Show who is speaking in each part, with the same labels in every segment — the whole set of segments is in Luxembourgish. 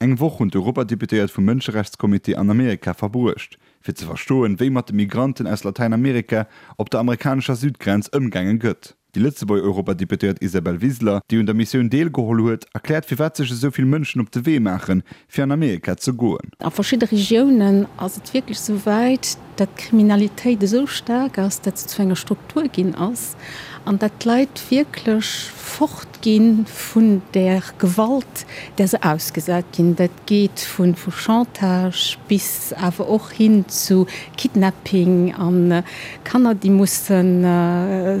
Speaker 1: Eng Woch hunn d'Europadeputéiert vum Mënscherechtscomité an Amerika verbruecht, fir ze verstoen, wéi mat de Migranten aus Latäinamerika op der amerikanescher Südgrenz ëmgaange gëtt. Déi Lëtzebuerger Europadeputéiert Isabel Wiseler, déi un der Missioun deelgeholl huet, erkläert firwat sech esou vill Mënschen op de Wee maachen, fir an Amerika ze goen.
Speaker 2: A verschidde Regiounen ass et wierklech esou wäit, datt d'Kriminalitéit esou staark ass, datt se zu enger Struktur ginn ass an datt d'Leit wierklech fortgi vun där Gewalt, där se ausgesat ginn. Dat geet vu Chantage bis awer och hin zu Kidnapping a Kanner, déi musse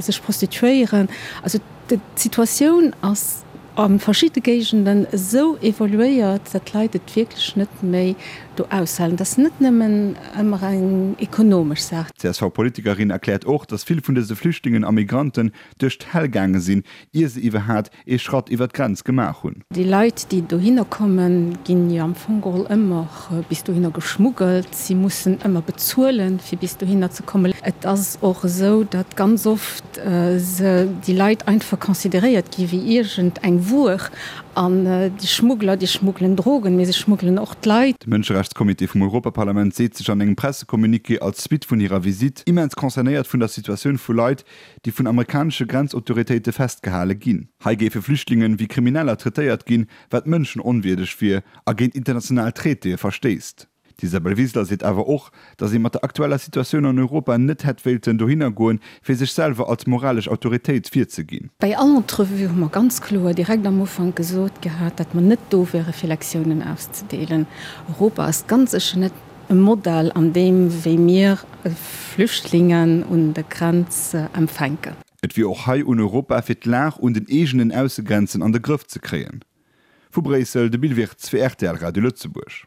Speaker 2: sech prostituéieren. Also d'Situatioun ass a verschidde Géigenden esou evoluéiert, datt d'Leit et wierklech net méi do aushalen. Et ass net nëmmen ëmmer eng ekonomesch Saach.
Speaker 1: D'CSV-Politikerin erkläert och, datt vill vun dëse Flüchtlingen a Migranten duerch d'Häll gaange sinn, ier se iwwerhaat ee Schratt iwwer d'Grenz gemaach hunn.
Speaker 2: Déi Leit, déi dohinner kommen, ginn jo am Fong geholl ëmmer bis dohinner geschmuggelt. Si mussen ëmmer bezuelen, fir bis dohinner ze kommen. Et ass och esou, datt ganz oft se, déi Leit, einfach consideréiert gi wéi iergend eng Wuer. An déi Schmuggler, déi schmuggelen Drogen, mee se schmuggelen och d'Leit.
Speaker 1: De Mënscherechtscomité vum Europaparlament seet sech an engem Pressecommuniqué als Suite vun hirer Visitt immens concernéiert vun der Situatioun vu Leit, déi vun amerikanesche Grenzautoritéite festgehale ginn. Hei géife Flüchtlingen wéi Krimineller traitéiert ginn, wat mënschenonwierdeg wier a géint international Traitéë verstéisst. D'Isabel Wiseler seet awer och, datt ee mat der aktueller Situatioun an Europa net hätt wéilten dohinner goen, fir sech selwer als moralesch Autoritéit virzeginn.
Speaker 2: Bei all Entrevue hu mer ganz kloer direkt am Ufank gesot gehat, datt mer net do wäre fir Lektiounen auszedeelen. Europa ass ganz sécher net E Modell an deem wéi mir Flüchtlingen un der Grenz empfänken.
Speaker 1: Et wier och hei un Europa fir d'Lag un den eegenen Aussegrenzen an de Grëff ze kréien. Vu Bréissel, de Bill Wirtz fir rtl Radio Lëtzebuerg.